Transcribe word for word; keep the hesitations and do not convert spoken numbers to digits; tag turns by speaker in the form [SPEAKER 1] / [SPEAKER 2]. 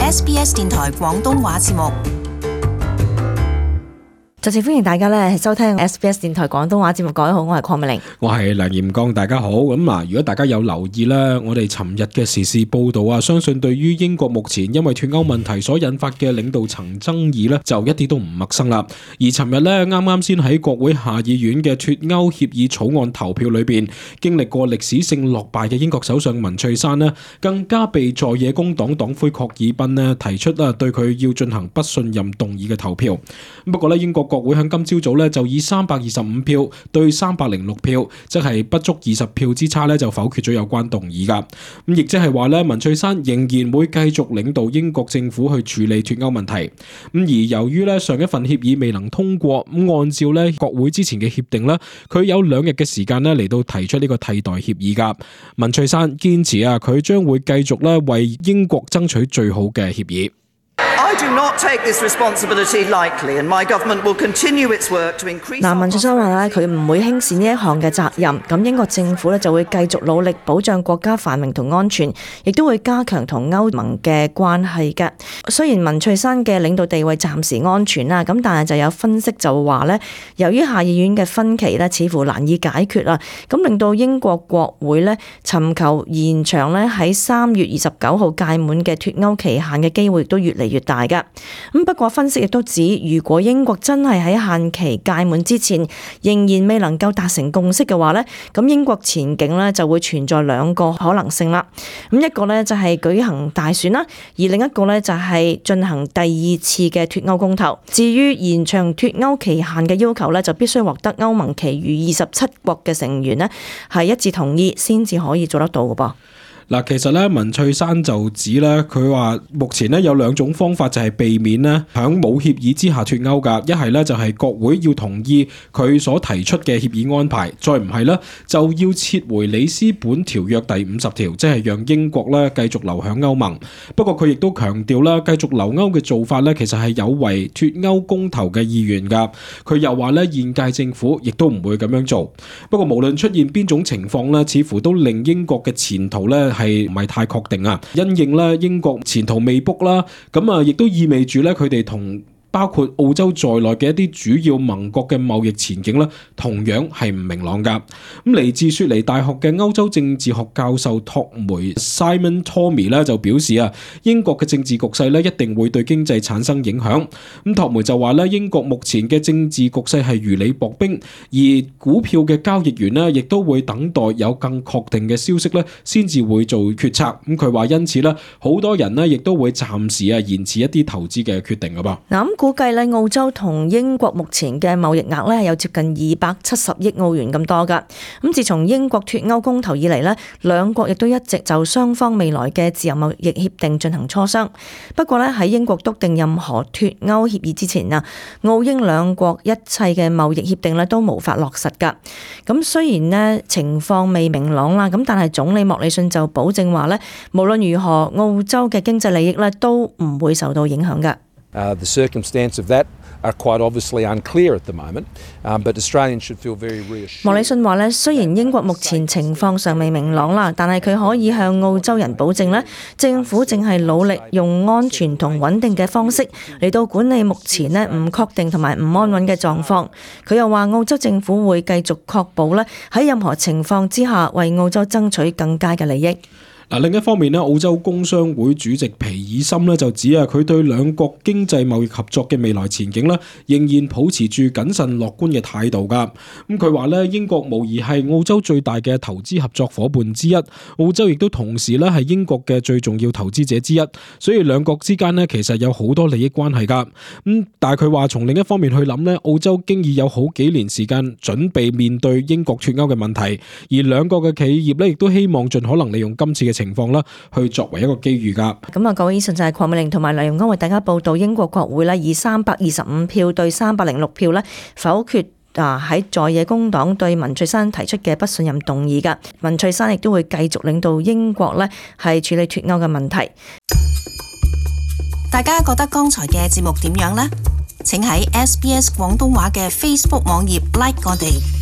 [SPEAKER 1] S B S 電台廣東話節目。
[SPEAKER 2] 再次歡迎大家咧收聽 S B S 電台廣東話節目。各位好，我係鄺美玲，
[SPEAKER 3] 我係梁炎剛，大家好。咁嗱，如果大家有留意咧，我哋尋日嘅時事報道啊，相信對於英國目前因為脫歐問題所引發嘅領導層爭議咧，就一啲都唔陌生啦。而尋日咧，啱啱先喺國會下議院嘅脫歐協議草案投票裏邊，經歷過歷史性落敗嘅英國首相文翠珊呢，更加被在野工黨黨魁郝爾賓呢提出啦，對佢要進行不信任動議嘅投票。不過咧，英國國會喺今朝早咧就以三百二十五票對三百零六票，即係不足二十票之差咧就否決咗有關動議噶。咁亦即係話咧，文翠珊仍然會繼續領導英國政府去處理脫歐問題。咁而由於咧上一份協議未能通過，咁按照咧國會之前嘅協定咧，佢有兩日嘅時間咧嚟到提出呢個替代協議噶。文翠珊堅持啊，佢將會繼續咧為英國爭取最好嘅協議。
[SPEAKER 2] 嗱，文翠珊話咧，佢唔會輕視呢一項嘅責任。咁英國政府咧就會繼續努力保障國家繁榮同安全，亦都會加強同歐盟嘅關係嘅。雖然文翠珊嘅領導地位暫時安全啦，咁但係就有分析就話咧，由於下議院嘅分歧咧，似乎難以解決啦，咁令到英國國會咧尋求延長咧喺三月二十九號屆滿嘅脫歐期限嘅機會亦都越嚟越大噶。咁不過分析亦都指，如果英國真係喺限期屆滿之前仍然未能夠達成共識嘅話呢，咁英國前景呢就會存在兩個可能性啦。咁一個呢就係舉行大選啦，而另一個呢就係進行第二次嘅脫歐公投。至於延長脫歐期限嘅要求呢，就必須獲得歐盟其餘二十七國嘅成員呢係一致同意先至可以做得到嘅噃。
[SPEAKER 3] 嗱，其實咧，文翠珊就指咧，佢話目前咧有兩種方法就係避免咧喺冇協議之下脫歐㗎。一係咧就係國會要同意佢所提出嘅協議安排，再唔係咧就要撤回里斯本條約第五十條，即係讓英國咧繼續留喺歐盟。不過佢亦都強調啦，繼續留歐嘅做法咧，其實係有違脫歐公投嘅意願㗎。佢又話咧，現屆政府亦都唔會咁樣做。不過無論出現邊種情況咧，似乎都令英國嘅前途咧係唔係太確定啊？因應咧英國前途未卜啦，咁啊亦都意味住咧佢哋同包括澳洲在內嘅一啲主要盟國嘅貿易前景咧，同樣係唔明朗噶。咁嚟自雪梨大學嘅歐洲政治學教授托梅 Simon Tommy 咧就表示啊，英國嘅政治局勢咧一定會對經濟產生影響。咁托梅就話咧，英國目前嘅政治局勢係如履薄冰，而股票嘅交易員咧亦都會等待有更確定嘅消息咧，先至會做決策。咁佢話因此咧，好多人咧亦都會暫時啊延遲一啲投資嘅決定噶噃。
[SPEAKER 2] 估計咧，澳洲同英國目前嘅貿易額咧有接近二百七十億澳元咁多噶。咁自從英國脫歐公投以嚟咧，兩國亦都一直就雙方未來嘅自由貿易協定進行磋商。不過咧，喺英國篤定任何脫歐協議之前啊，澳英兩國一切嘅貿易協定咧都無法落實噶。咁雖然咧情況未明朗啦，咁但係總理莫里遜就保證話咧，無論如何，澳洲嘅經濟利益咧都唔會受到影響噶。
[SPEAKER 4] Uh, the circumstance of that are quite obviously unclear at the moment, um, but Australians should feel very reassured.
[SPEAKER 2] 莫里遜話咧，雖然英國目前情況尚未明朗啦，但係佢可以向澳洲人保證咧，政府正係努力用安全同穩定嘅方式嚟到管理目前咧唔確定同埋唔安穩嘅狀況。佢又話澳洲政府會繼續確保咧喺任何情況之下為澳洲爭取更佳嘅利益。
[SPEAKER 3] 另一方面咧，澳洲工商會主席皮爾森咧就指啊，佢對兩國經濟貿易合作嘅未來前景咧，仍然保持住謹慎樂觀嘅態度噶。咁佢話咧，英國無疑係澳洲最大嘅投資合作夥伴之一，澳洲亦都同時咧係英國嘅最重要投資者之一，所以兩國之間咧其實有好多利益關係噶。咁但係佢話從另一方面去諗咧，澳洲經已有好幾年時間準備面對英國脫歐嘅問題，而兩國嘅企業咧亦都希望盡可能利用今次嘅情況啦，去作為一個機遇噶。
[SPEAKER 2] 咁啊，各位以上就係鄺美玲同埋梁容安為大家報道，英國國會咧以三百二十五票對三百零六票咧否決啊喺在野工黨對文翠珊提出嘅不信任動議噶。文翠珊亦都會繼續領導英國咧係處理脫歐嘅問題。
[SPEAKER 1] 大家覺得剛才嘅節目點樣呢？請喺 S B S 廣東話嘅 Facebook 網頁 like 我哋。